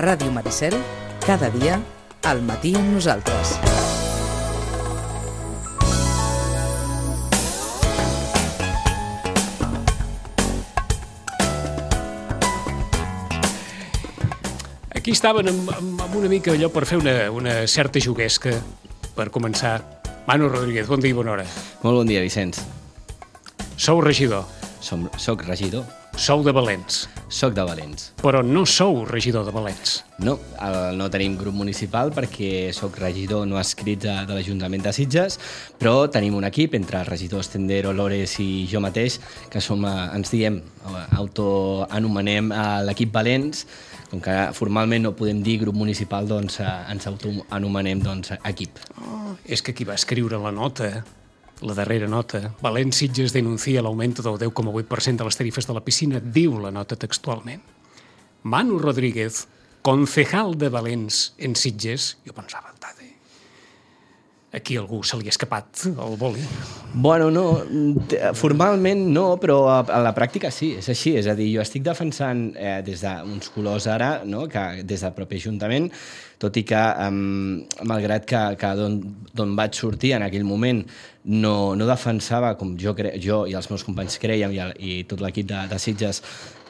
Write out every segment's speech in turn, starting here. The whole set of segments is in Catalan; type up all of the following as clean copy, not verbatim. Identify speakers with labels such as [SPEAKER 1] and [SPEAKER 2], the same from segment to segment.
[SPEAKER 1] Ràdio Maricel, cada dia, al matí amb nosaltres.
[SPEAKER 2] Aquí estaven amb una mica allò per fer una certa juguesca, per començar. Manu Rodríguez, bon dia i bona hora.
[SPEAKER 3] Molt bon dia, Vicenç.
[SPEAKER 2] Sou regidor.
[SPEAKER 3] Soc regidor.
[SPEAKER 2] Sou de Valents.
[SPEAKER 3] Soc de Valents.
[SPEAKER 2] Però no sou regidor de Valents.
[SPEAKER 3] No, no tenim grup municipal perquè soc regidor no escrit de l'Ajuntament de Sitges, però tenim un equip entre els regidors Tendero, Lores i jo mateix, que ens diem, autoanomenem l'equip Valents. Com que formalment no podem dir grup municipal, doncs ens autoanomenem equip.
[SPEAKER 2] És que qui va escriure la nota, la darrera nota, Valents Sitges denuncia l'augment del 10,8% de les tarifes de la piscina, diu la nota textualment. Manu Rodríguez, concejal de Valents en Sitges, jo pensava, aquí algú se li ha escapat el boli.
[SPEAKER 3] Bueno, no, formalment no, però a la pràctica sí, és així. És a dir, jo estic defensant des d'uns colors ara, no? Que des del propi Ajuntament, tot i que, malgrat que d'on vaig sortir en aquell moment no defensava, com jo i els meus companys creiem, i tot l'equip de Sitges,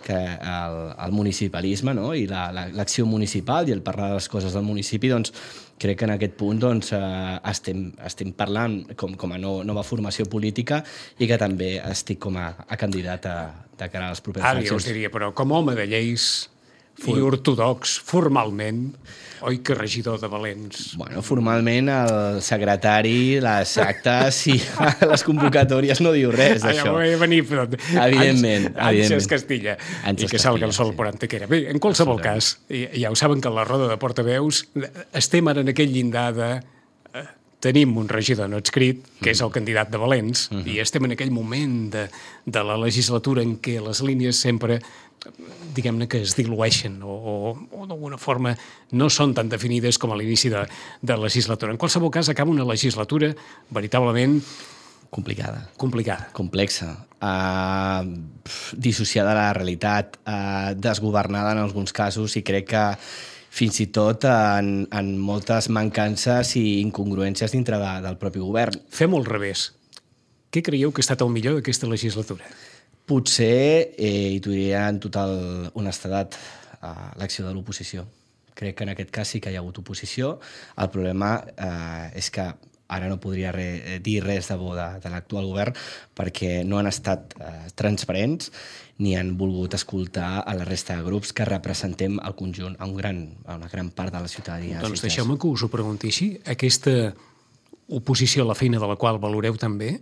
[SPEAKER 3] que el municipalisme, no? I l'acció municipal i el parlar de les coses del municipi, doncs crec que en aquest punt estem parlant com a nova formació política i que també estic com a candidat de cara a les properes eleccions.
[SPEAKER 2] Ara jo us diria, però com a home de lleis i ortodox, formalment, oi que regidor de Valents?
[SPEAKER 3] Bueno, formalment el secretari, les actes i les convocatòries no diu res d'això.
[SPEAKER 2] Ja ho he venir, però...
[SPEAKER 3] Evidentment.
[SPEAKER 2] Ànsies Castilla. I que salga el sol por Antequera. Bé, en qualsevol cas, ja ho saben que a la roda de portaveus estem ara en aquell llindar de... Tenim un regidor no adscrit, que és el candidat de Valents, i estem en aquell moment de la legislatura en què les línies sempre, diguem-ne, que es dilueixen o d'alguna forma no són tan definides com a l'inici de legislatura. En qualsevol cas, acaba una legislatura veritablement...
[SPEAKER 3] Complicada.
[SPEAKER 2] Complexa.
[SPEAKER 3] Dissociada de la realitat, desgovernada en alguns casos, i crec que fins i tot en moltes mancances i incongruències dintre del propi govern.
[SPEAKER 2] Fem-ho al revés. Què creieu que ha estat el millor d'aquesta legislatura?
[SPEAKER 3] Potser, i t'ho diria en total honestedat, l'acció de l'oposició. Crec que en aquest cas sí que hi ha hagut oposició. El problema és que ara no podria dir res de bo de l'actual govern perquè no han estat transparents ni han volgut escoltar a la resta de grups que representem el conjunt, a una gran part de la ciutadania.
[SPEAKER 2] Doncs deixeu-me que us ho pregunti així. Aquesta oposició a la feina de la qual valoreu també,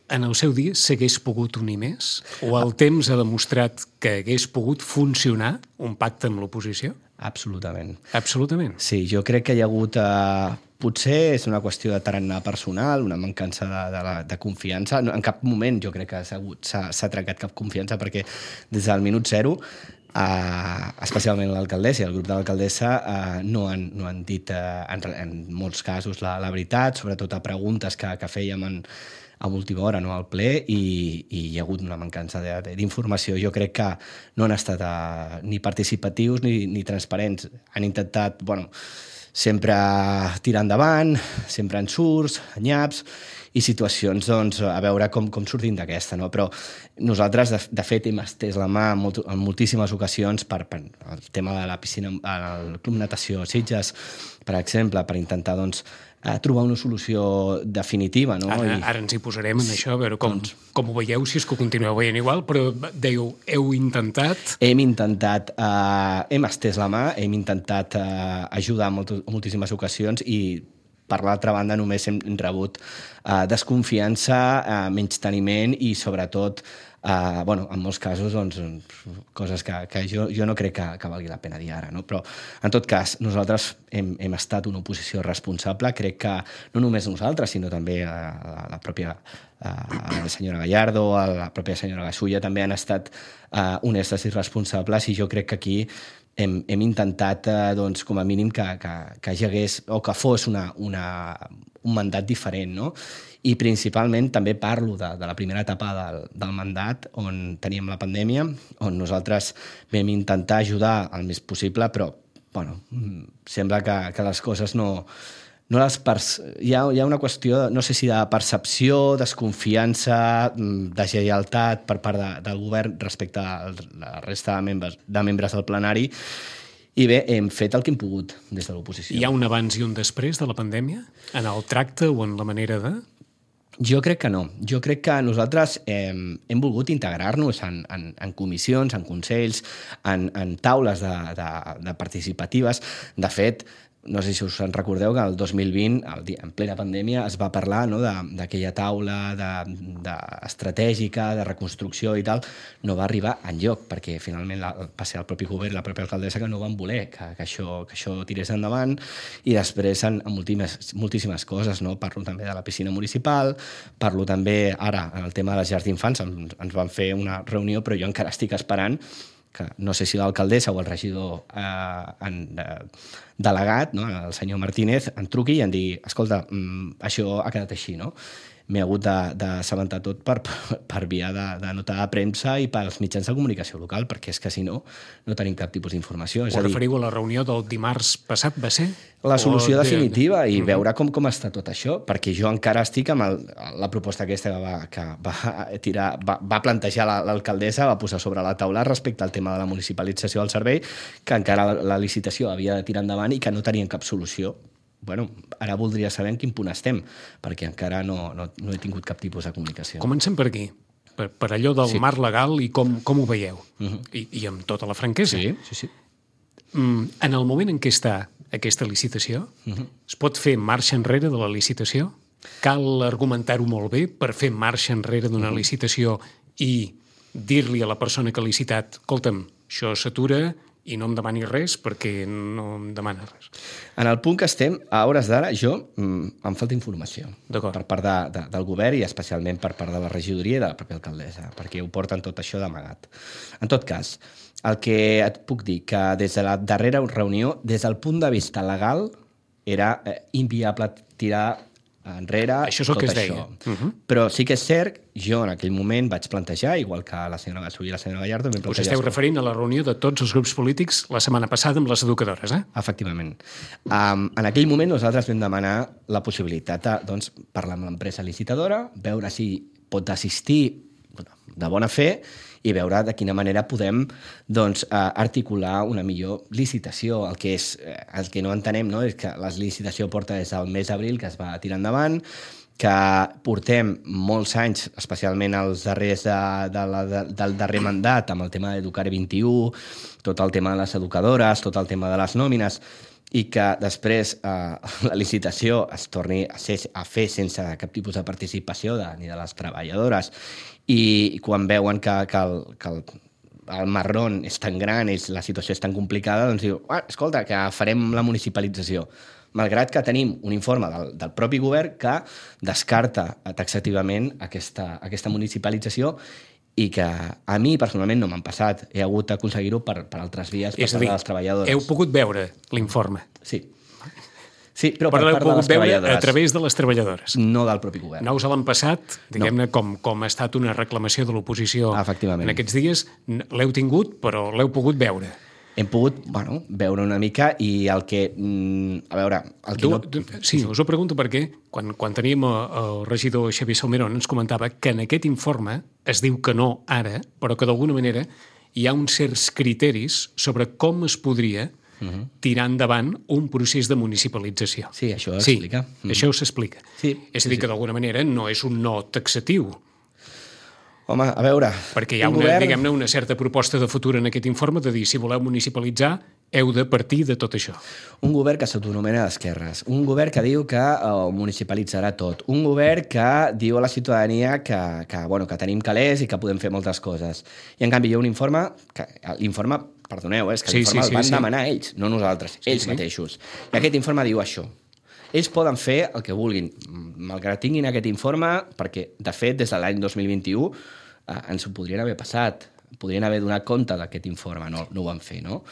[SPEAKER 2] en el seu dia s'hagués pogut unir més? O el temps ha demostrat que hagués pogut funcionar un pacte amb l'oposició?
[SPEAKER 3] Absolutament.
[SPEAKER 2] Absolutament?
[SPEAKER 3] Sí, jo crec que hi ha hagut... Potser és una qüestió de tarannà personal, una mancança de confiança. En cap moment jo crec que s'ha trencat cap confiança perquè des del minut zero, especialment l'alcaldessa i el grup de l'alcaldessa, no han dit en molts casos la veritat, sobretot a preguntes que fèiem a última hora, no, al ple, i hi ha hagut una mancança d'informació. Jo crec que no han estat ni participatius ni transparents. Han intentat, sempre tirar endavant, sempre ensurts, nyaps, i situacions, a veure com sortim d'aquesta, no? Però nosaltres, de fet, hem estès la mà en moltíssimes ocasions per el tema de la piscina, el Club Natació Sitges, per exemple, per intentar, trobar una solució definitiva, no?
[SPEAKER 2] Ara ens hi posarem en això, a veure com ho veieu, si és que ho continueu veient igual, però dèieu, heu intentat...
[SPEAKER 3] Hem estès la mà, hem intentat ajudar en moltíssimes ocasions i, per l'altra banda, només hem rebut desconfiança, menysteniment i, sobretot, en molts casos, coses que jo no crec que valgui la pena dir ara, no? Però, en tot cas, nosaltres hem estat una oposició responsable. Crec que no només nosaltres, sinó també la pròpia senyora Gallardo, la pròpia senyora Gasulla, també han estat honestes i responsables, i jo crec que aquí hem intentat, com a mínim, que hi hagués, o que fos un mandat diferent, no? I principalment també parlo de la primera etapa del mandat, on teníem la pandèmia, on nosaltres vam intentar ajudar el més possible, però sembla que les coses no hi ha una qüestió, no sé si de percepció, desconfiança, deslleialtat per part del govern respecte a la resta de membres del plenari. I bé, hem fet el que hem pogut des de l'oposició.
[SPEAKER 2] Hi ha un abans i un després de la pandèmia? En el tracte o en la manera de...?
[SPEAKER 3] Jo crec que no. Jo crec que nosaltres hem volgut integrar-nos en comissions, en consells, en taules de participatives. De fet, no sé si us en recordeu que el 2020, en plena pandèmia, es va parlar d'aquella taula estratègica, de reconstrucció i tal. No va arribar enlloc, perquè finalment va ser el propi govern, la pròpia alcaldessa, que no van voler que això tirés endavant. I després en moltíssimes coses, no? Parlo també de la piscina municipal, parlo també ara en el tema de les llars d'infants, ens van fer una reunió, però jo encara estic esperant que no sé si l'alcaldessa o el regidor delegat, no, el senyor Martínez, em truqui i em digui, escolta, això ha quedat així, no? M'he hagut d'assabentar tot per via de nota de premsa i pels mitjans de comunicació local, perquè és que si no tenim cap tipus d'informació.
[SPEAKER 2] Ho referiu a la reunió del dimarts passat, va ser?
[SPEAKER 3] La solució definitiva i veure com està tot això, perquè jo encara estic amb la proposta aquesta que va plantejar l'alcaldessa, va posar sobre la taula respecte al tema de la municipalització del servei, que encara la licitació havia de tirar endavant i que no tenien cap solució. Bueno, ara voldria saber en quin punt estem, perquè encara no he tingut cap tipus de comunicació.
[SPEAKER 2] Comencem per aquí, per allò del marc legal i com ho veieu. I amb tota la franquesa.
[SPEAKER 3] Sí.
[SPEAKER 2] En el moment en què està aquesta licitació, es pot fer marxa enrere de la licitació? Cal argumentar-ho molt bé per fer marxa enrere d'una licitació i dir-li a la persona que ha licitat, escolta'm, això s'atura i no em demani res perquè no em demana res.
[SPEAKER 3] En el punt que estem, a hores d'ara, em falta informació per part del govern i especialment per part de la regidoria i de la pròpia alcaldessa, perquè ho porten tot això d'amagat. En tot cas, el que et puc dir, que des de la darrera reunió, des del punt de vista legal, era inviable tirar enrere
[SPEAKER 2] això és el
[SPEAKER 3] tot
[SPEAKER 2] que es
[SPEAKER 3] això.
[SPEAKER 2] Deia.
[SPEAKER 3] Però sí que és cert, jo en aquell moment vaig plantejar, igual que la senyora Gassú i la senyora Gallardo...
[SPEAKER 2] Us esteu referint a la reunió de tots els grups polítics la setmana passada amb les educadores, eh?
[SPEAKER 3] Efectivament. En aquell moment nosaltres vam demanar la possibilitat de parlar amb l'empresa licitadora, veure si pot assistir de bona fe i veure de quina manera podem articular una millor licitació. El que no entenem, no, és que la licitació porta des del mes d'abril, que es va tirar endavant, que portem molts anys, especialment els darrers del darrer mandat, amb el tema d'Educar 21, tot el tema de les educadores, tot el tema de les nòmines, i que després la licitació es torni a fer sense cap tipus de participació ni de les treballadores, i quan veuen que el marrón és tan gran, la situació és tan complicada, doncs diu, escolta, que farem la municipalització. Malgrat que tenim un informe del propi govern que descarta taxativament aquesta municipalització i que a mi personalment no m'han passat. He hagut d'aconseguir-ho per altres vies, per part de les treballadores.
[SPEAKER 2] Heu pogut veure l'informe?
[SPEAKER 3] Sí, però per part de les treballadores.
[SPEAKER 2] A través de les treballadores.
[SPEAKER 3] No del propi govern.
[SPEAKER 2] No us l'han passat, diguem-ne, com ha estat una reclamació de l'oposició en aquests dies. L'heu tingut, però l'heu pogut veure.
[SPEAKER 3] Hem pogut, veure una mica i el que... A veure...
[SPEAKER 2] Sí, us ho pregunto perquè quan teníem el regidor Xavier Salmerón ens comentava que en aquest informe es diu que no ara, però que d'alguna manera hi ha uns certs criteris sobre com es podria tirar endavant un procés de municipalització.
[SPEAKER 3] Sí, això s'explica.
[SPEAKER 2] Sí, això s'explica. És a dir, que d'alguna manera no és un no taxatiu.
[SPEAKER 3] Home, a veure...
[SPEAKER 2] Perquè hi ha diguem-ne, una certa proposta de futur en aquest informe de dir, si voleu municipalitzar, heu de partir de tot això.
[SPEAKER 3] Un govern que s'autonomena d'esquerres, un govern que diu que municipalitzarà tot, un govern que diu a la ciutadania que tenim calés i que podem fer moltes coses. I en canvi hi ha un informe, l'informe, perdoneu, és que l'informe el van demanar ells, no nosaltres, ells mateixos. I aquest informe diu això. Ells poden fer el que vulguin, malgrat tinguin aquest informe, perquè, de fet, des de l'any 2021 ens ho podrien haver passat, podrien haver donat compte d'aquest informe, no ho van fer, no?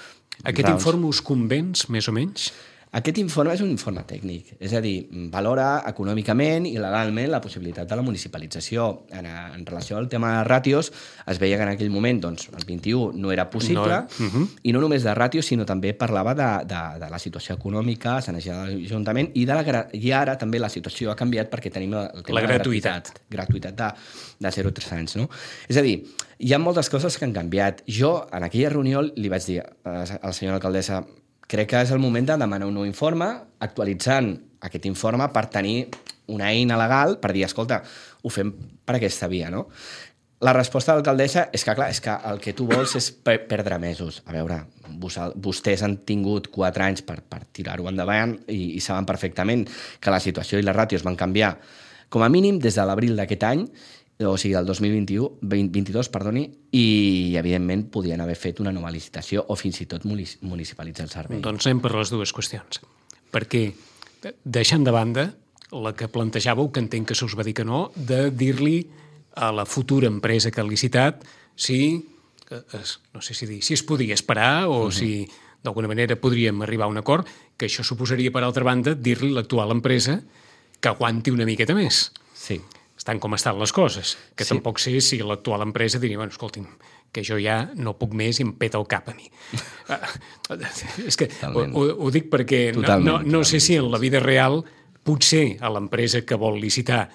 [SPEAKER 2] Aquest informe us convenç, més o menys?
[SPEAKER 3] Aquest informe és un informe tècnic, és a dir, valora econòmicament i legalment la possibilitat de la municipalització. En relació al tema de ràtios, es veia que en aquell moment doncs, el 21 no era possible, i no només de ràtios, sinó també parlava de la situació econòmica, s'energia de l'Ajuntament, i ara també la situació ha canviat perquè tenim el tema
[SPEAKER 2] la gratuïtat
[SPEAKER 3] de 0 a 3 anys. No? És a dir, hi ha moltes coses que han canviat. Jo, en aquella reunió, li vaig dir a la senyora alcaldessa, crec que és el moment de demanar un nou informe, actualitzant aquest informe per tenir una eina legal per dir, escolta, ho fem per aquesta via, no? La resposta de l'alcaldessa és que, clar, és que el que tu vols és perdre mesos. A veure, vostès han tingut 4 anys per tirar-ho endavant i saben perfectament que la situació i les ràtios van canviar com a mínim des de l'abril d'aquest any, o sigui, el 2022, i, evidentment, podien haver fet una nova licitació o fins i tot municipalitzar el servei.
[SPEAKER 2] Doncs anem per les dues qüestions. Perquè, deixant de banda la que plantejàveu, que entenc que se us va dir que no, de dir-li a la futura empresa que ha licitat si, no sé si dir, si es podia esperar o si d'alguna manera podríem arribar a un acord, que això suposaria, per altra banda, dir-li a l'actual empresa que aguanti una miqueta més.
[SPEAKER 3] Sí.
[SPEAKER 2] Estan com estan les coses, que tampoc sé si l'actual empresa diria, bueno, escolti'm, que jo ja no puc més i em peta el cap a mi. És que ho dic perquè no sé si en la vida real potser a l'empresa que vol licitar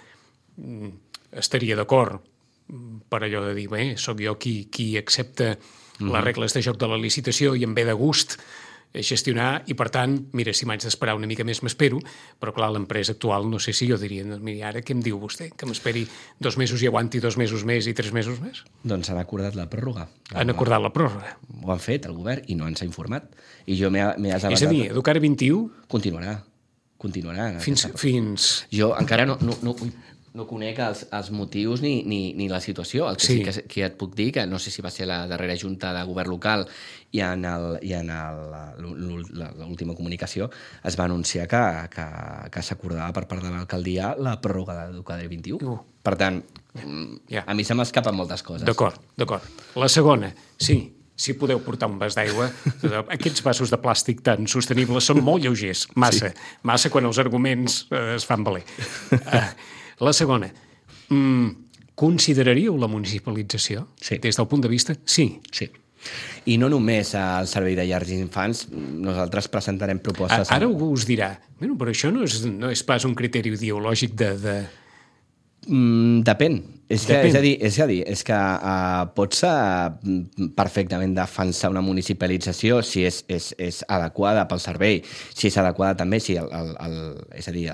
[SPEAKER 2] estaria d'acord per allò de dir, bé, sóc jo qui accepta les regles de joc de la licitació i em ve de gust gestionar, i per tant, mira, si m'haig d'esperar una mica més m'espero, però clar, l'empresa actual no sé si jo diria, mira, ara què em diu vostè? Que m'esperi 2 mesos i aguanti 2 mesos més i 3 mesos més?
[SPEAKER 3] Doncs han acordat la pròrroga.
[SPEAKER 2] Han acordat la pròrroga.
[SPEAKER 3] Ho han fet, el govern, i no ens ha informat. I jo m'he assabentat...
[SPEAKER 2] És a dir, Educar 21...
[SPEAKER 3] Continuarà.
[SPEAKER 2] Fins...
[SPEAKER 3] Jo encara no conec els motius ni la situació. El que sí que et puc dir, que no sé si va ser la darrera junta de govern local i en l'última comunicació es va anunciar que s'acordava per part de l'alcaldia la pròrroga d'Educar 21. Per tant, a mi se m'escapen moltes coses.
[SPEAKER 2] D'acord. La segona, sí, si podeu portar un vas d'aigua, aquests vasos de plàstic tan sostenibles són molt lleugers, massa quan els arguments es fan valer. La segona, consideraríeu la municipalització des del punt de vista? Sí.
[SPEAKER 3] I no només al servei de llars d'infants, nosaltres presentarem propostes...
[SPEAKER 2] Ara algú us dirà, però això no és pas un criteri ideològic de...
[SPEAKER 3] Depèn. És a dir, pots perfectament defensar una municipalització si és adequada pel servei, si és adequada també, és a dir,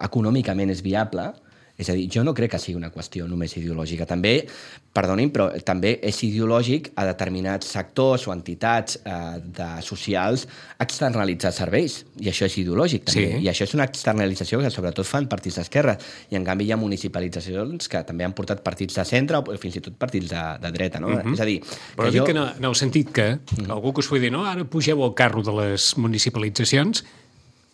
[SPEAKER 3] econòmicament és viable. És a dir, jo no crec que sigui una qüestió només ideològica. També, perdonin, però també és ideològic a determinats sectors o entitats socials externalitzar serveis. I això és ideològic, també. I això és una externalització que sobretot fan partits d'esquerra. I, en canvi, hi ha municipalitzacions que també han portat partits de centre o fins i tot partits de dreta. No? És a dir...
[SPEAKER 2] Però dic que en el sentit que algú que us pugui dir, no, ara pugeu al carro de les municipalitzacions,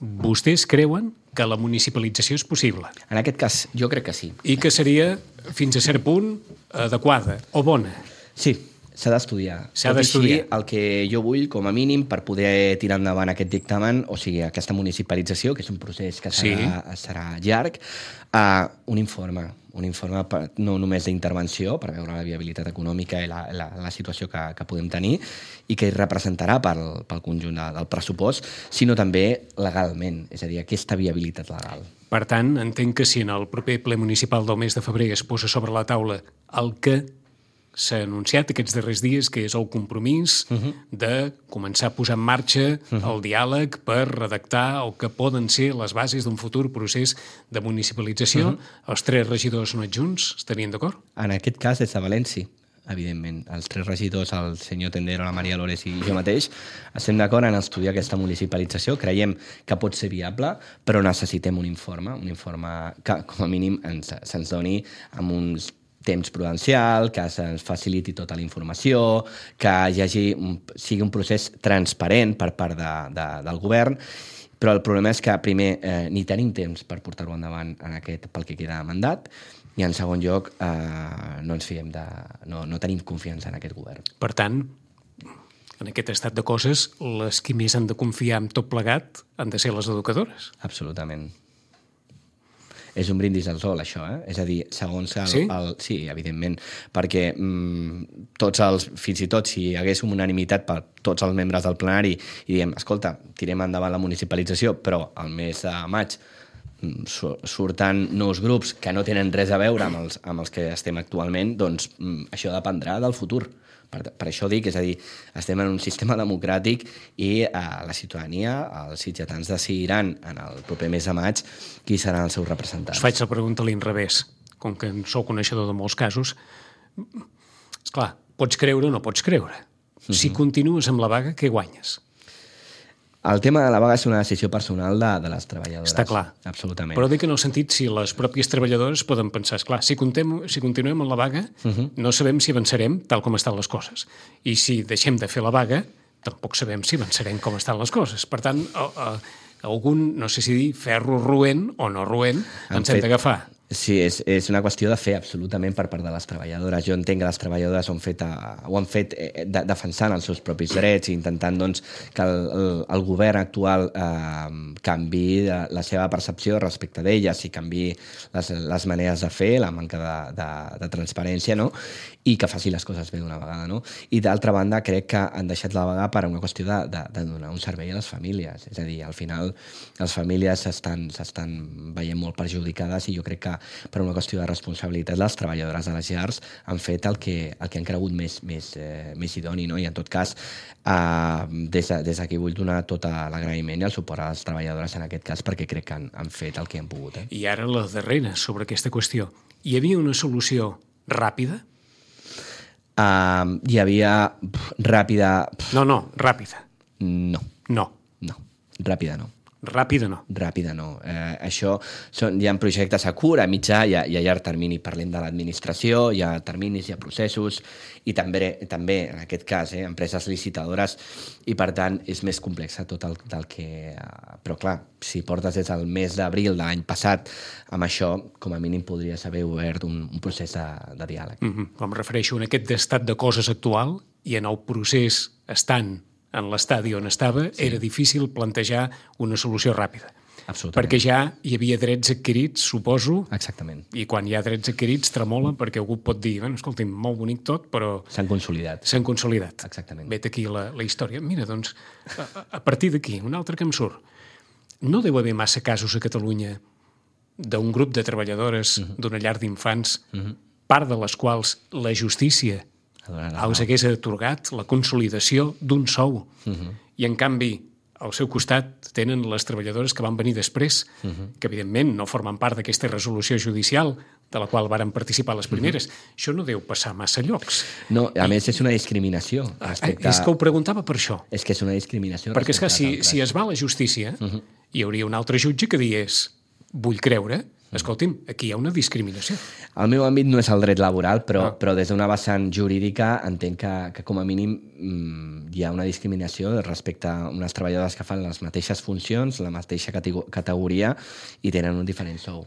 [SPEAKER 2] vostès creuen que la municipalització és possible.
[SPEAKER 3] En aquest cas, jo crec que sí.
[SPEAKER 2] I que seria, fins a cert punt, adequada o bona.
[SPEAKER 3] Sí, s'ha d'estudiar. El que jo vull, com a mínim, per poder tirar endavant aquest dictamen, o sigui, aquesta municipalització, que és un procés que serà llarg, un informe no només d'intervenció, per veure la viabilitat econòmica i la situació que podem tenir i que representarà pel conjunt del pressupost, sinó també legalment, és a dir, aquesta viabilitat legal.
[SPEAKER 2] Per tant, entenc que si en el proper ple municipal del mes de febrer es posa sobre la taula el que s'ha anunciat aquests darrers dies, que és el compromís de començar a posar en marxa el diàleg per redactar el que poden ser les bases d'un futur procés de municipalització. Els 3 regidors no adjunts estarien d'acord?
[SPEAKER 3] En aquest cas, des de València, evidentment. Els 3 regidors, el senyor Tendero, la Maria Lores i jo mateix, estem d'acord en estudiar aquesta municipalització. Creiem que pot ser viable, però necessitem un informe que, com a mínim, se'ns doni amb uns temps prudencial, que se'ns faciliti tota la informació, que sigui un procés transparent per part del govern, però el problema és que, primer, ni tenim temps per portar-ho endavant pel que queda de mandat, i en segon lloc, no ens fiem no tenim confiança en aquest govern.
[SPEAKER 2] Per tant, en aquest estat de coses, les qui més han de confiar en tot plegat han de ser les educadores.
[SPEAKER 3] Absolutament. És un brindis al sol, això, eh? És a dir, segons
[SPEAKER 2] Sí?
[SPEAKER 3] Sí, evidentment, perquè fins i tot si hi hagués unanimitat per tots els membres del plenari i diem, escolta, tirem endavant la municipalització, però al mes de maig surten nous grups que no tenen res a veure amb els que estem actualment, doncs això dependrà del futur. Per això dic, és a dir, estem en un sistema democràtic i la ciutadania, els sitgetans decidiran en el proper mes de maig qui seran els seus representants.
[SPEAKER 2] Us faig la pregunta a l'inrevés. Com que en sou coneixedor de molts casos, esclar, pots creure o no pots creure. Si continues amb la vaga, què guanyes?
[SPEAKER 3] El tema de la vaga és una decisió personal de les treballadores.
[SPEAKER 2] Està clar.
[SPEAKER 3] Absolutament.
[SPEAKER 2] Però dic en el sentit si les pròpies treballadores poden pensar, esclar, si continuem amb la vaga, no sabem si avançarem tal com estan les coses. I si deixem de fer la vaga, tampoc sabem si avançarem com estan les coses. Per tant, algun, no sé si dir ferro roent o no roent, ens hem d'agafar.
[SPEAKER 3] Sí, és una qüestió de fer absolutament per part de les treballadores. Jo entenc que les treballadores ho han fet defensant els seus propis drets i intentant doncs, que el govern actual canviï la seva percepció respecte d'elles i canviï les maneres de fer, la manca de transparència, no? I que faci les coses bé d'una vegada. No? I d'altra banda, crec que han deixat la vaga per una qüestió de donar un servei a les famílies. És a dir, al final les famílies s'estan veient molt perjudicades i jo crec que per una qüestió de responsabilitat les treballadores de les llars han fet el que han cregut més idoni. No? I en tot cas, des d'aquí vull donar tot l'agraïment i el suport a les treballadores en aquest cas perquè crec que han fet el que han pogut.
[SPEAKER 2] I ara la darrera sobre aquesta qüestió. Hi havia una solució ràpida?
[SPEAKER 3] Hi havia ràpida...
[SPEAKER 2] No, ràpida.
[SPEAKER 3] No.
[SPEAKER 2] No.
[SPEAKER 3] Ràpida no.
[SPEAKER 2] Ràpida no.
[SPEAKER 3] Ràpida no. Això hi ha projectes a curt, a mitjà i a llarg termini. Parlem de l'administració, hi ha terminis, hi ha processos i també en aquest cas, empreses licitadores i per tant és més complex tot del que... Però clar, si portes des del mes d'abril de l'any passat amb això, com a mínim podries haver obert un procés de diàleg.
[SPEAKER 2] Em refereixo a aquest estat de coses actual i en el procés estant en l'estadi on estava, era difícil plantejar una solució ràpida.
[SPEAKER 3] Absolutament.
[SPEAKER 2] Perquè ja hi havia drets adquirits, suposo.
[SPEAKER 3] Exactament.
[SPEAKER 2] I quan hi ha drets adquirits tremola perquè algú pot dir, bueno, escolti'm, molt bonic tot, però...
[SPEAKER 3] S'han consolidat.
[SPEAKER 2] Exactament. Vet aquí la història. Mira, doncs, a partir d'aquí, un altre que em surt. No deu haver massa casos a Catalunya d'un grup de treballadores d'una llar d'infants, part de les quals la justícia els hagués atorgat la consolidació d'un sou. I, en canvi, al seu costat tenen les treballadores que van venir després, que, evidentment, no formen part d'aquesta resolució judicial de la qual varen participar les primeres. Això no deu passar massa llocs.
[SPEAKER 3] No, a més, és una discriminació.
[SPEAKER 2] És que ho preguntava per això.
[SPEAKER 3] És que és una discriminació.
[SPEAKER 2] Perquè, esclar, si es va a la justícia, hi hauria un altre jutge que digués vull creure, escolti'm, aquí hi ha una discriminació.
[SPEAKER 3] El meu àmbit no és el dret laboral, però des d'una vessant jurídica entenc que com a mínim hi ha una discriminació respecte a unes treballadores que fan les mateixes funcions, la mateixa categoria i tenen un diferent sou.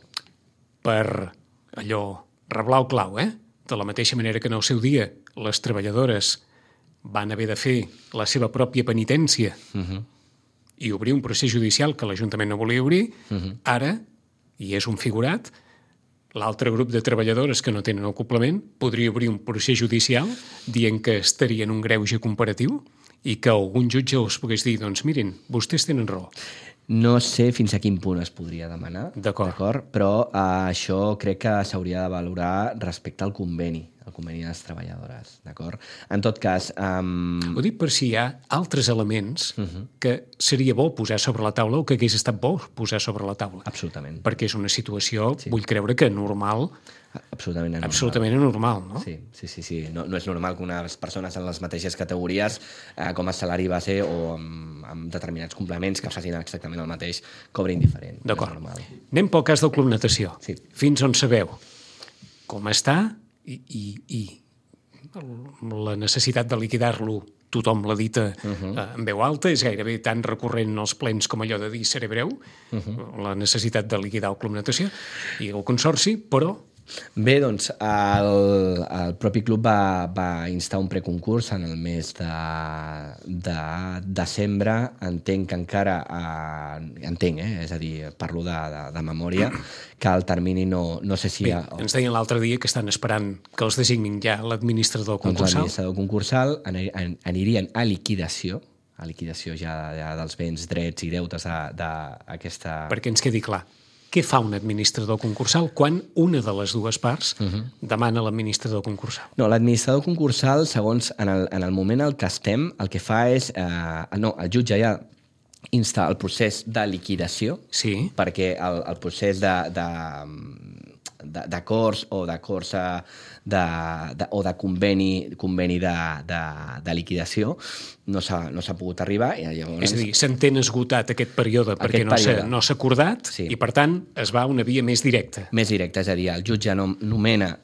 [SPEAKER 2] Per allò, reblar o clau, De la mateixa manera que en el seu dia les treballadores van haver de fer la seva pròpia penitència i obrir un procés judicial que l'Ajuntament no volia obrir, ara, i és un figurat, l'altre grup de treballadores que no tenen acoblament podria obrir un procés judicial dient que estarien un greuge comparatiu i que algun jutge els pogués dir, doncs mirin, vostès tenen raó.
[SPEAKER 3] No sé fins a quin punt es podria demanar,
[SPEAKER 2] d'acord,
[SPEAKER 3] però això crec que s'hauria de valorar respecte al conveni de les treballadores, d'acord? En tot cas...
[SPEAKER 2] Ho dic per si hi ha altres elements que seria bo posar sobre la taula o que hagués estat bo posar sobre la taula.
[SPEAKER 3] Absolutament.
[SPEAKER 2] Perquè és una situació, vull creure que normal...
[SPEAKER 3] Absolutament anormal.
[SPEAKER 2] Absolutament anormal, no?
[SPEAKER 3] Sí. No és normal que unes persones en les mateixes categories, com a salari base o amb determinats complements que facin exactament el mateix, cobrin diferent.
[SPEAKER 2] D'acord. Anem pel cas del Club Natació.
[SPEAKER 3] Sí.
[SPEAKER 2] Fins on sabeu com està i la necessitat de liquidar-lo, tothom l'ha dita en veu alta, és gairebé tan recurrent en els plens com allò de dir seré breu, la necessitat de liquidar el Club Natació i el Consorci, però
[SPEAKER 3] Bé, doncs el propi club va instar un preconcurs en el mes de desembre. Entenc que encara... és a dir, parlo de memòria, que el termini no sé si...
[SPEAKER 2] Bé, ens deien l'altre dia que estan esperant que els designin ja l'administrador concursal.
[SPEAKER 3] Doncs l'administrador concursal anirien a liquidació ja dels béns, drets i deutes d'aquesta...
[SPEAKER 2] Perquè ens quedi clar, què fa un administrador concursal quan una de les dues parts demana l'administrador concursal?
[SPEAKER 3] No, l'administrador concursal, segons en el moment en què estem, el que fa és... el jutge ja insta el procés de liquidació,
[SPEAKER 2] sí,
[SPEAKER 3] perquè el procés d'acords o d'acords o de conveni de liquidació no s'ha pogut arribar. I llavors...
[SPEAKER 2] És a dir, s'entén esgotat aquest període perquè no s'ha acordat, sí, i per tant es va a una via més directa.
[SPEAKER 3] Més directa, és a dir, el jutge nomena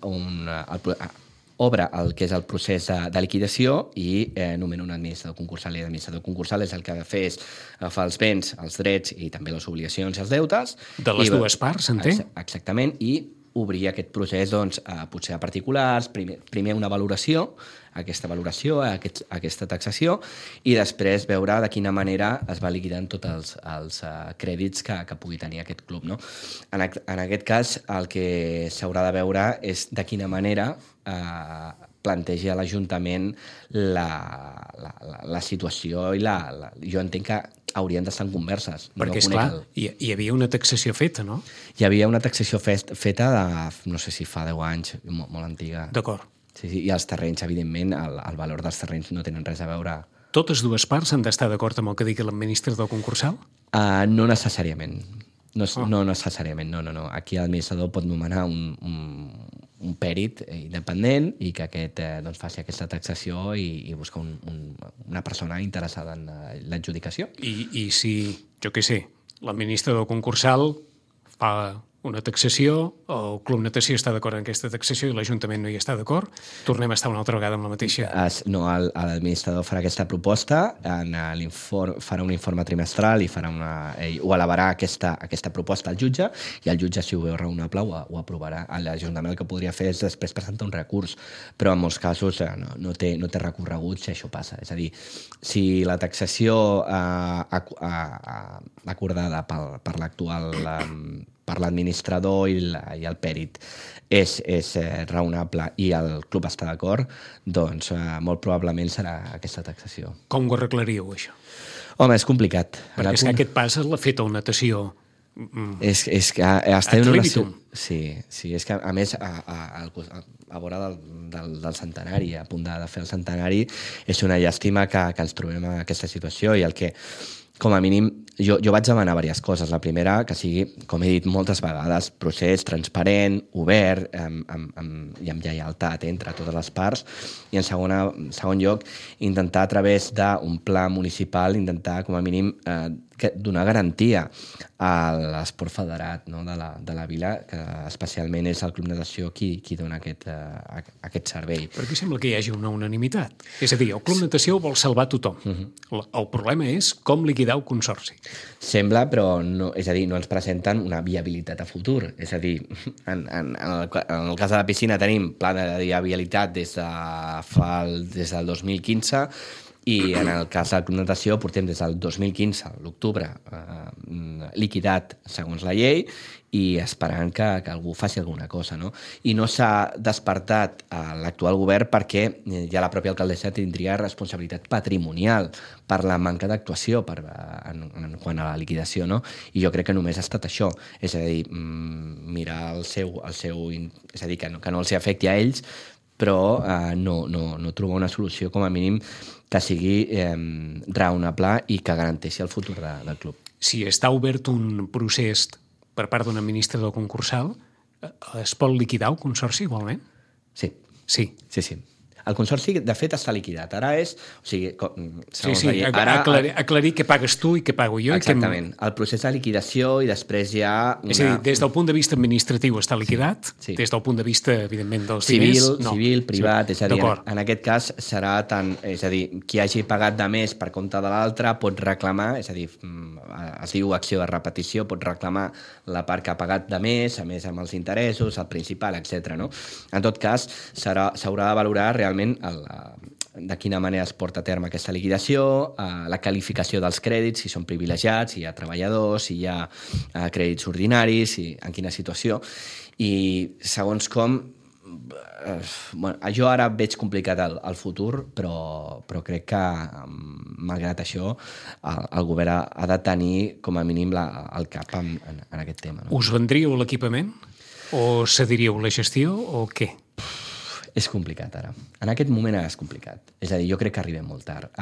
[SPEAKER 3] obre el que és el procés de liquidació i nomena un administrador concursal. I l'administrador concursal és el que ha de fer és agafar els béns, els drets i també les obligacions i els deutes.
[SPEAKER 2] De les dues parts, entenc?
[SPEAKER 3] Exactament, i obrir aquest procés potser a particulars, primer una valoració, aquesta taxació, i després veure de quina manera es va liquidant tots els crèdits que pugui tenir aquest club. No? En aquest cas, el que s'haurà de veure és de quina manera planteja l'Ajuntament la situació i jo entenc que haurien d'estar en converses.
[SPEAKER 2] Perquè, esclar, hi havia una taxació feta, no?
[SPEAKER 3] Hi havia una taxació feta de, no sé si fa 10 anys, molt antiga.
[SPEAKER 2] D'acord.
[SPEAKER 3] Sí, i els terrenys, evidentment, el valor dels terrenys no tenen res a veure.
[SPEAKER 2] Totes dues parts han d'estar d'acord amb el que digui l'administrador concursal?
[SPEAKER 3] No necessàriament. No necessàriament, no. Aquí l'administrador pot nomenar un pèrit independent i que aquest faci aquesta taxació i buscar una persona interessada en l'adjudicació.
[SPEAKER 2] I si, jo què sé, l'administrador concursal fa una taxació, el Club Natació està d'acord en aquesta taxació i l'Ajuntament no hi està d'acord, tornem a estar una altra vegada amb la mateixa...
[SPEAKER 3] No, l'administrador farà aquesta proposta, farà un informe trimestral i ho elevarà aquesta proposta al jutge, i el jutge, si ho veu raonable, ho aprovarà. L'Ajuntament el que podria fer és després presentar un recurs, però en molts casos no té recorregut si això passa. És a dir, si la taxació acordada per l'actual... per l'administrador i el pèrit és raonable i el club està d'acord, doncs molt probablement serà aquesta taxació.
[SPEAKER 2] Com ho arreglaríeu, això?
[SPEAKER 3] Home, és complicat.
[SPEAKER 2] Perquè és que aquest pas l'ha fet el Natació
[SPEAKER 3] és que estem
[SPEAKER 2] ad libitum.
[SPEAKER 3] Sí, és que a més a vora del centenari, a punt de fer el centenari, és una llàstima que ens trobem en aquesta situació, i el que, com a mínim, jo vaig demanar diverses coses. La primera, que sigui, com he dit moltes vegades, procés transparent, obert, i amb lleialtat entre totes les parts, i en segon lloc, intentar a través d'un pla municipal, intentar, com a mínim, donar garantia a l'esport federat, no, de la vila, que especialment és el Club Natació qui dona aquest servei.
[SPEAKER 2] Perquè sembla que hi hagi una unanimitat. És a dir, el Club Natació vol salvar tothom. El problema és com liquidar el consorci.
[SPEAKER 3] Sembla, però no, és a dir, no ens presenten una viabilitat a futur. És a dir, en el cas de la piscina tenim pla de viabilitat des del 2015, i en el cas del Club Natació portem des del 2015, l'octubre, liquidat segons la llei, i esperant que algú faci alguna cosa, no? I no s'ha despertat l'actual govern perquè ja la pròpia alcaldessa tindria responsabilitat patrimonial per la manca d'actuació en quant a la liquidació, no? I jo crec que només ha estat això, és a dir, mirar el seu és a dir, que no els afecti a ells, però no trobar una solució, com a mínim, que sigui raonable i que garanteixi el futur del club.
[SPEAKER 2] Si està obert un procés per part d'un administrador concursal, es pot liquidar el consorci igualment?
[SPEAKER 3] Sí.
[SPEAKER 2] Sí.
[SPEAKER 3] Sí. El consorci, de fet, està liquidat. Ara és... O sigui,
[SPEAKER 2] aclarir què pagues tu i què pago jo.
[SPEAKER 3] Exactament. El procés de liquidació i després hi ha...
[SPEAKER 2] És a dir, des del punt de vista administratiu està liquidat, des del punt de vista, evidentment, dels diners...
[SPEAKER 3] Civil, privat, és a dir, en aquest cas serà tant... És a dir, qui hagi pagat de més per compte de l'altre pot reclamar, és a dir, es diu acció de repetició, pot reclamar la part que ha pagat de més, a més amb els interessos, el principal, etc. No? En tot cas, s'haurà de valorar realment de quina manera es porta a terme aquesta liquidació, la qualificació dels crèdits, si són privilegiats, si hi ha treballadors, si hi ha crèdits ordinaris, en quina situació. I segons com... jo ara veig complicat el futur, però crec que, malgrat això, el govern ha de tenir, com a mínim, el cap en aquest tema. No?
[SPEAKER 2] Us vendríeu l'equipament? O cediríeu la gestió? O què?
[SPEAKER 3] És complicat, ara. En aquest moment és complicat. És a dir, jo crec que arribem molt tard.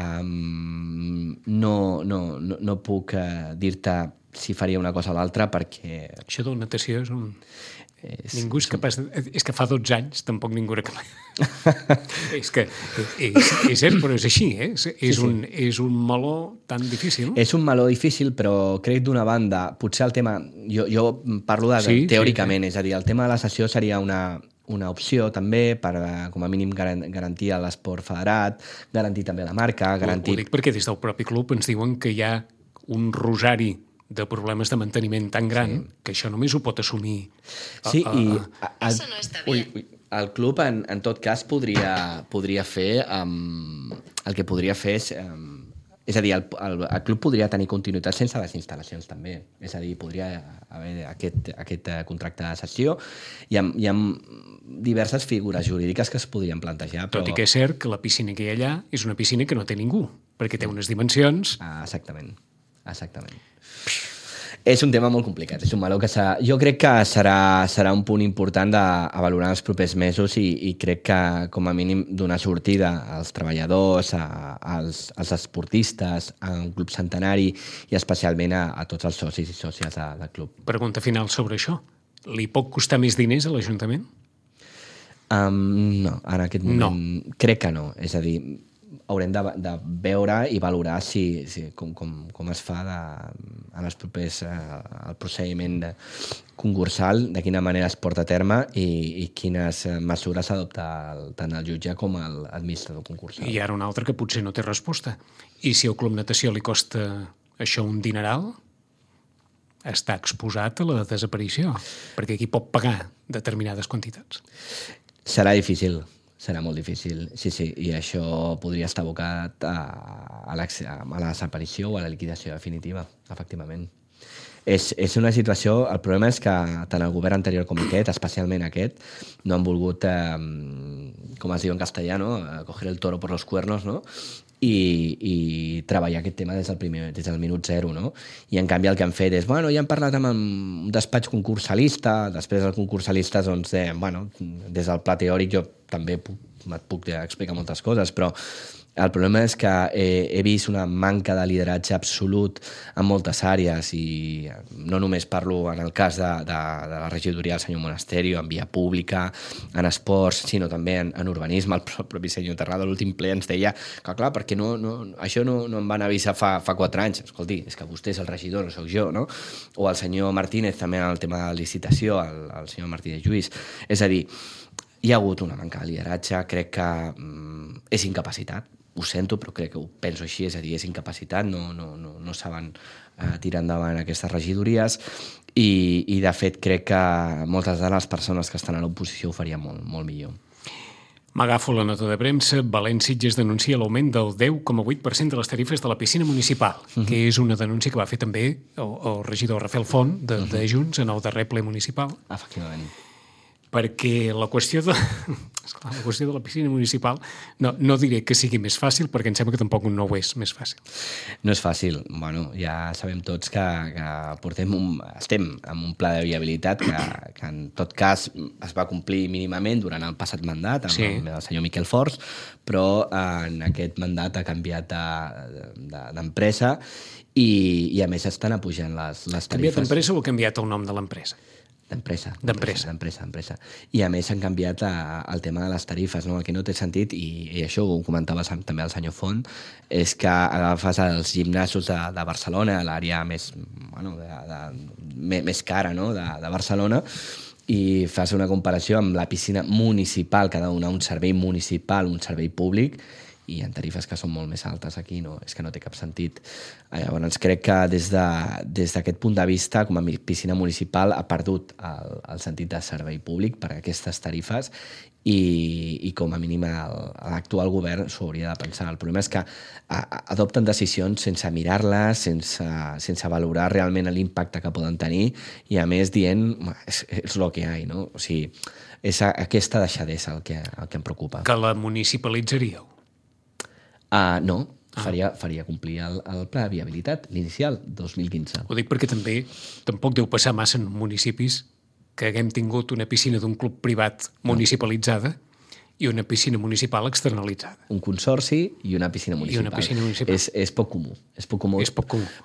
[SPEAKER 3] No puc dir-te si faria una cosa o l'altra perquè...
[SPEAKER 2] Això de la natació és un... Ningú és capaç de... És que fa 12 anys tampoc ningú era capaç. És que... És cert, però és així, eh? És un meló tan difícil.
[SPEAKER 3] És un meló difícil, però crec d'una banda, potser el tema... Jo parlo teòricament, és a dir, el tema de la sessió seria una opció també per, com a mínim, garantir l'esport federat, garantir també la marca, garantir...
[SPEAKER 2] Ho dic perquè des del propi club ens diuen que hi ha un rosari de problemes de manteniment tan gran que això només ho pot assumir.
[SPEAKER 3] Sí, el club, en tot cas, podria fer... El que podria fer és a dir, el club podria tenir continuïtat sense les instal·lacions, també. És a dir, podria haver aquest contracte de cessió. Hi ha diverses figures jurídiques que es podrien plantejar.
[SPEAKER 2] Tot i que és cert que la piscina que hi ha allà és una piscina que no té ningú, perquè té unes dimensions...
[SPEAKER 3] Exactament. És un tema molt complicat, és un meló que jo crec que serà un punt important a valorar els propers mesos i crec que, com a mínim, donar sortida als treballadors, als esportistes, a un club centenari i especialment a tots els socis i sòcies del club.
[SPEAKER 2] Pregunta final sobre això. Li pot costar més diners a l'Ajuntament?
[SPEAKER 3] No, en aquest moment crec que no. És a dir, haurem de veure i valorar com es fa en els propers el procediment concursal, de quina manera es porta a terme i quines mesures s'adopta tant el jutge com l'administrador concursal.
[SPEAKER 2] I ara una altra que potser no té resposta. I si al Club Natació li costa això un dineral, està exposat a la desaparició, perquè aquí pot pagar determinades quantitats.
[SPEAKER 3] Serà difícil. Serà molt difícil, sí, i això podria estar abocat a la desaparició o a la liquidació definitiva, efectivament. És una situació... El problema és que tant el govern anterior com aquest, especialment aquest, no han volgut, com es diu en castellà, no? Coger el toro por los cuernos, no? I treballar aquest tema des del minut zero, no? I en canvi el que han fet és, ja han parlat amb un despatx concursalista, després els concursalistes, doncs, des del pla teòric jo també et puc explicar moltes coses, però el problema és que he vist una manca de lideratge absolut en moltes àrees i no només parlo en el cas de la regidoria del senyor Monasterio, en via pública, en esports, sinó també en urbanisme. El propi senyor Terrado a l'últim ple ens deia que, clar, perquè això no em van avisar fa 4 anys. Escolti, és que vostè és el regidor, no sóc jo, no? O el senyor Martínez també en el tema de la licitació, el senyor Martínez Lluís. És a dir, hi ha hagut una manca de lideratge, crec que és incapacitat. Ho sento, però crec que ho penso així, és a dir, és incapacitat, no saben tirar endavant aquestes regidories i de fet, crec que moltes de les persones que estan a l'oposició ho farien molt, molt millor.
[SPEAKER 2] M'agafo la nota de premsa. València-Sitges denuncia l'augment del 10,8% de les tarifes de la piscina municipal, que és una denúncia que va fer també el regidor Rafael Font de Junts en el darrer ple municipal.
[SPEAKER 3] Efectivament.
[SPEAKER 2] Perquè la qüestió de la piscina municipal no diré que sigui més fàcil, perquè em sembla que tampoc no ho és més fàcil.
[SPEAKER 3] No és fàcil. Ja sabem tots que estem en un pla de viabilitat que en tot cas es va complir mínimament durant el passat mandat amb el senyor Miquel Forns, però en aquest mandat ha canviat d'empresa i a més estan apujant les tarifes.
[SPEAKER 2] Canviat d'empresa o ha canviat el nom de l'empresa?
[SPEAKER 3] D'empresa. I a més han canviat el tema de les tarifes, no? El que no té sentit, i això ho comentava també el senyor Font, és que agafes els gimnasos de Barcelona, l'àrea més cara, no? de Barcelona, i fas una comparació amb la piscina municipal, que ha de donar un servei municipal, un servei públic, i en tarifes que són molt més altes aquí, és que no té cap sentit. Llavors crec que des d'aquest punt de vista, com a piscina municipal, ha perdut el sentit de servei públic per aquestes tarifes i com a mínim l'actual govern s'ho hauria de pensar. El problema és que adopten decisions sense mirar-les, sense valorar realment l'impacte que poden tenir i a més dient, és lo que hi ha, no? O sigui, és aquesta deixadesa el que em preocupa.
[SPEAKER 2] Que la municipalitzaríeu?
[SPEAKER 3] No, faria complir el pla de viabilitat, l'inicial, 2015.
[SPEAKER 2] Ho dic perquè tampoc deu passar massa en municipis que haguem tingut una piscina d'un club privat municipalitzada i una piscina municipal externalitzada.
[SPEAKER 3] Un consorci i una piscina municipal. És poc comú. És poc comú.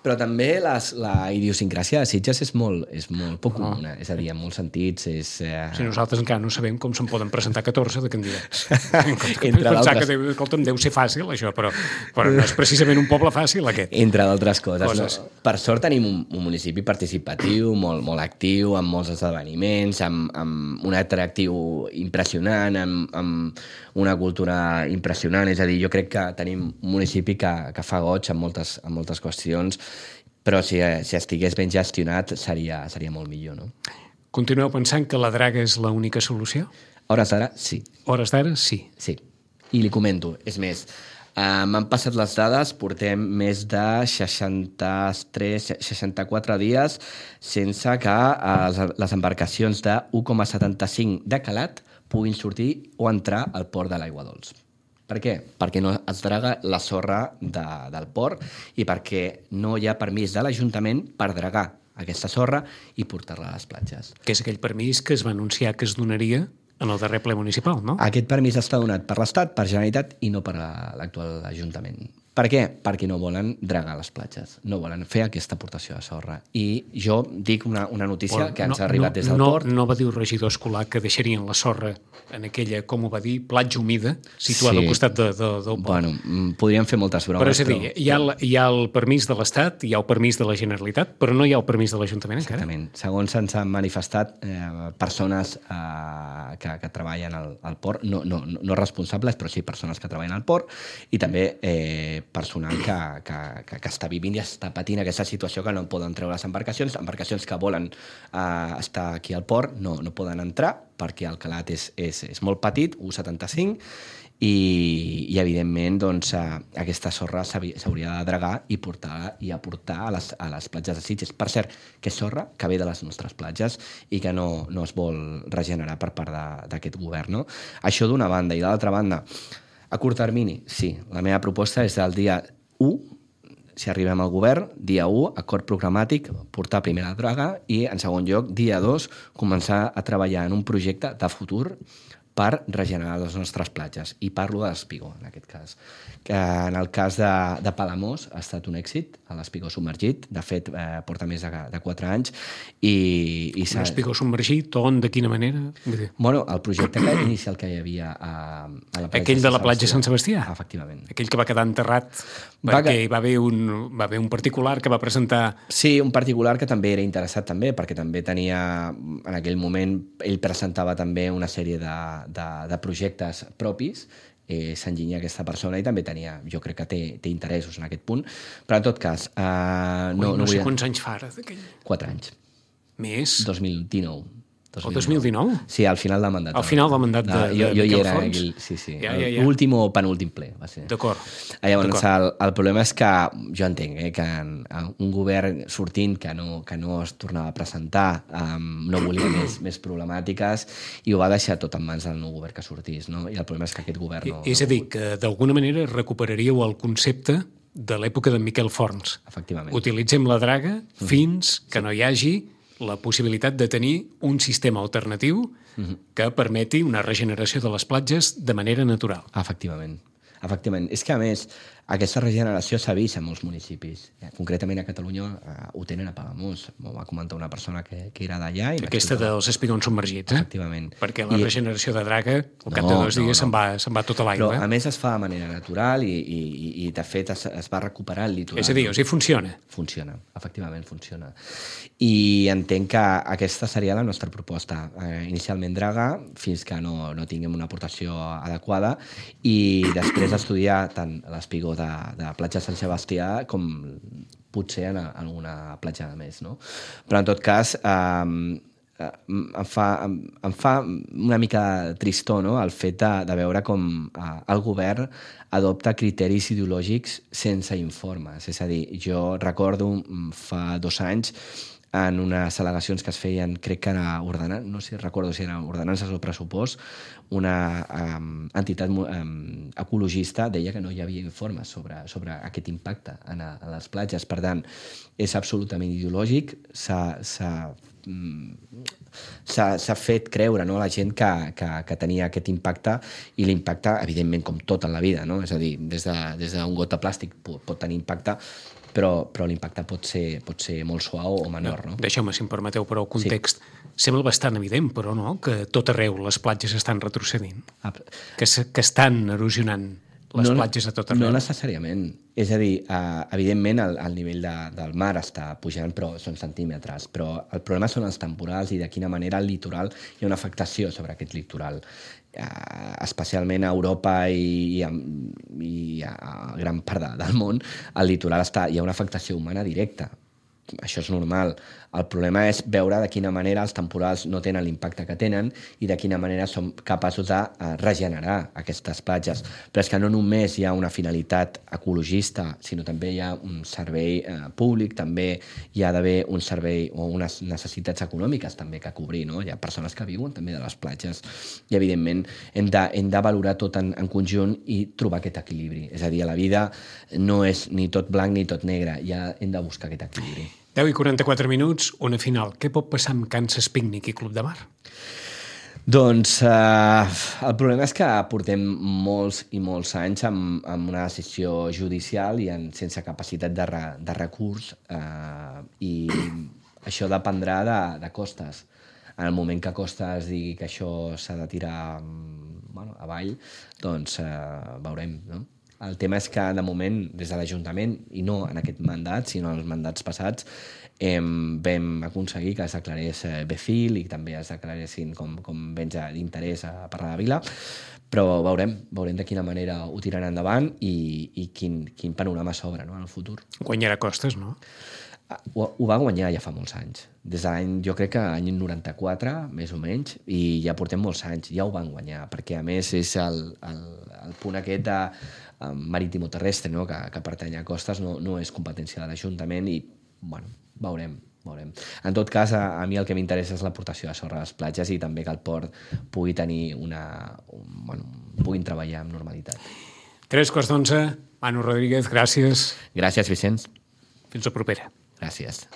[SPEAKER 3] Però també la idiosincràsia de Sitges és molt poc comuna. És a dir, en molts sentits és...
[SPEAKER 2] Si nosaltres encara no sabem com se'n poden presentar 14 de candidats.
[SPEAKER 3] Pensar
[SPEAKER 2] que deu ser fàcil, això, però no és precisament un poble fàcil, aquest.
[SPEAKER 3] Entre d'altres coses. No? Per sort tenim un municipi participatiu, molt actiu, amb molts esdeveniments, amb un atractiu impressionant, amb una cultura impressionant, és a dir, jo crec que tenim un municipi que fa goig en moltes qüestions, però si estigués ben gestionat seria molt millor, no?
[SPEAKER 2] Continueu pensant que la draga és l'única solució?
[SPEAKER 3] A hores d'ara, sí.
[SPEAKER 2] A hores d'ara, sí.
[SPEAKER 3] Sí, i li comento, és més, m'han passat les dades, portem més de 64 dies sense que les embarcacions de 1,75 de calat puguin sortir o entrar al port de l'Aigua Dols. Per què? Perquè no es draga la sorra del port i perquè no hi ha permís de l'Ajuntament per dragar aquesta sorra i portar-la a les platges.
[SPEAKER 2] Que és aquell permís que es va anunciar que es donaria en el darrer ple municipal, no?
[SPEAKER 3] Aquest permís està donat per l'Estat, per Generalitat i no per l'actual Ajuntament. Per què? Perquè no volen dragar les platges, no volen fer aquesta aportació de sorra. I jo dic una notícia que ens ha arribat des del port.
[SPEAKER 2] No va dir el regidor escolar que deixarien la sorra en aquella, com ho va dir, platja humida, situada al costat del port.
[SPEAKER 3] Bueno, podríem fer moltes bromes.
[SPEAKER 2] Però és a dir, hi ha el permís de l'Estat, hi ha el permís de la Generalitat, però no hi ha el permís de l'Ajuntament encara.
[SPEAKER 3] Exactament. Segons ens han manifestat persones que treballen al port, no responsables, però sí persones que treballen al port, i també personal que està vivint i està patint aquesta situació que no poden treure les embarcacions que volen estar aquí al port no poden entrar perquè el calat és molt petit, 1,75, i evidentment doncs, aquesta sorra s'hauria de dragar i aportar a les platges de Sitges. Per cert, que és sorra que ve de les nostres platges i que no es vol regenerar per part d'aquest govern, no? Això d'una banda. I d'altra banda, a curt termini, sí. La meva proposta és del dia 1, si arribem al govern, dia 1, acord programàtic, portar primer la draga i, en segon lloc, dia 2, començar a treballar en un projecte de futur per regenerar les nostres platges. I parlo de l'Espigó, en aquest cas. Que en el cas de Palamós ha estat un èxit, l'Espigó submergit. De fet, porta més de 4 anys.
[SPEAKER 2] L'Espigó submergit, on, de quina manera?
[SPEAKER 3] Bueno, el projecte inicial que hi havia a la platja...
[SPEAKER 2] Aquell de la platja Sant Sebastià?
[SPEAKER 3] Efectivament.
[SPEAKER 2] Aquell que va quedar enterrat perquè hi va haver un particular que va presentar...
[SPEAKER 3] Sí, un particular que també era interessat també, perquè també tenia, en aquell moment, ell presentava també una sèrie de projectes propis, s'enginyia aquesta persona i també tenia, jo crec que té interessos en aquest punt, però en tot cas...
[SPEAKER 2] no sé quants anys fa ara d'aquell.
[SPEAKER 3] 4 anys.
[SPEAKER 2] Més?
[SPEAKER 3] 2019.
[SPEAKER 2] O 2019?
[SPEAKER 3] Sí, al final del mandat.
[SPEAKER 2] Al final del mandat de
[SPEAKER 3] Miquel Fons? Sí. L'últim o penúltim ple, va ser.
[SPEAKER 2] D'acord.
[SPEAKER 3] Llavors, el problema és que jo entenc que un govern sortint que no es tornava a presentar no volia més problemàtiques i ho va deixar tot en mans del nou govern que sortís, no? I el problema és que aquest govern no...
[SPEAKER 2] És a dir, que d'alguna manera recuperaríeu el concepte de l'època de Miquel Fons.
[SPEAKER 3] Efectivament.
[SPEAKER 2] Utilitzem la draga fins que no hi hagi la possibilitat de tenir un sistema alternatiu que permeti una regeneració de les platges de manera natural.
[SPEAKER 3] Efectivament. És que, a més, aquesta regeneració s'ha vist en molts municipis. Concretament a Catalunya ho tenen a Palamós. M'ho va comentar una persona que era d'allà.
[SPEAKER 2] Aquesta dels espigons submergits,
[SPEAKER 3] Efectivament.
[SPEAKER 2] Perquè la regeneració de draga, al cap de 2 dies se'n va tota l'aigua.
[SPEAKER 3] Però, a més, es fa de manera natural i de fet, es va recuperar el litoral.
[SPEAKER 2] És a dir, o sigui, funciona.
[SPEAKER 3] Funciona, efectivament funciona. I entenc que aquesta seria la nostra proposta. Inicialment draga, fins que no tinguem una aportació adequada, i després estudiar tant l'espigó de platja Sant Sebastià com potser en alguna platja de més, no? Però en tot cas em fa una mica tristor, no?, el fet de veure com el govern adopta criteris ideològics sense informes. És a dir, jo recordo fa 2 anys en unes al·legacions que es feien, crec que era ordenances, no sé, recordo si eren ordenances o pressupost, una entitat ecologista deia que no hi havia informes sobre aquest impacte a les platges. Per tant, és absolutament ideològic, s'ha fet creure, no, a la gent que tenia aquest impacte, i l'impacte, evidentment, com tot en la vida, no? És a dir, des d'un got de plàstic pot tenir impacte, però l'impacte pot ser molt suau o menor. No?
[SPEAKER 2] Deixeu-me, si em permeteu, però el context sembla bastant evident, però no, que tot arreu les platges estan retrocedint, que estan erosionant les platges a tot arreu.
[SPEAKER 3] No necessàriament. És a dir, evidentment el nivell del mar està pujant, però són centímetres. Però el problema són els temporals i de quina manera el litoral hi ha una afectació sobre aquest litoral. Especialment a Europa i a gran part del món, al litoral hi ha una afectació humana directa. Això és normal. El problema és veure de quina manera els temporals no tenen l'impacte que tenen i de quina manera som capaços de regenerar aquestes platges. Però és que no només hi ha una finalitat ecologista, sinó també hi ha un servei públic, també hi ha d'haver un servei o unes necessitats econòmiques també que cobrir, no? Hi ha persones que viuen també de les platges i, evidentment, hem de valorar tot en conjunt i trobar aquest equilibri. És a dir, a la vida no és ni tot blanc ni tot negre, ja hem de buscar aquest equilibri.
[SPEAKER 2] 10:44 minuts, una final. Què pot passar amb Kansas Picnic i Club de Mar?
[SPEAKER 3] Doncs el problema és que portem molts i molts anys amb una decisió judicial i sense capacitat de recurs, i això dependrà de Costas. En el moment que Costas digui que això s'ha de tirar avall, doncs veurem, no? El tema és que, de moment, des de l'Ajuntament, i no en aquest mandat, sinó en els mandats passats, vam aconseguir que es declarés BEFIL i també es declaressin com béns d'interès per a la vila, però veurem de quina manera ho tiraran endavant i quin panorama s'obre, no, en el futur.
[SPEAKER 2] Guanyarà Costas, no?
[SPEAKER 3] Ho va guanyar ja fa molts anys. Des de l'any, jo crec que l'any 94, més o menys, i ja portem molts anys, ja ho van guanyar, perquè a més és el punt aquest de marítimo terrestre, no? que pertany a Costas, no és competència de l'Ajuntament i, bueno, veurem. En tot cas, a mi el que m'interessa és l'aportació de sorra a les platges i també que el port pugui tenir puguin treballar amb normalitat.
[SPEAKER 2] 11:03, Manu Rodríguez, gràcies.
[SPEAKER 3] Gràcies, Vicenç.
[SPEAKER 2] Fins la propera.
[SPEAKER 3] Gràcies.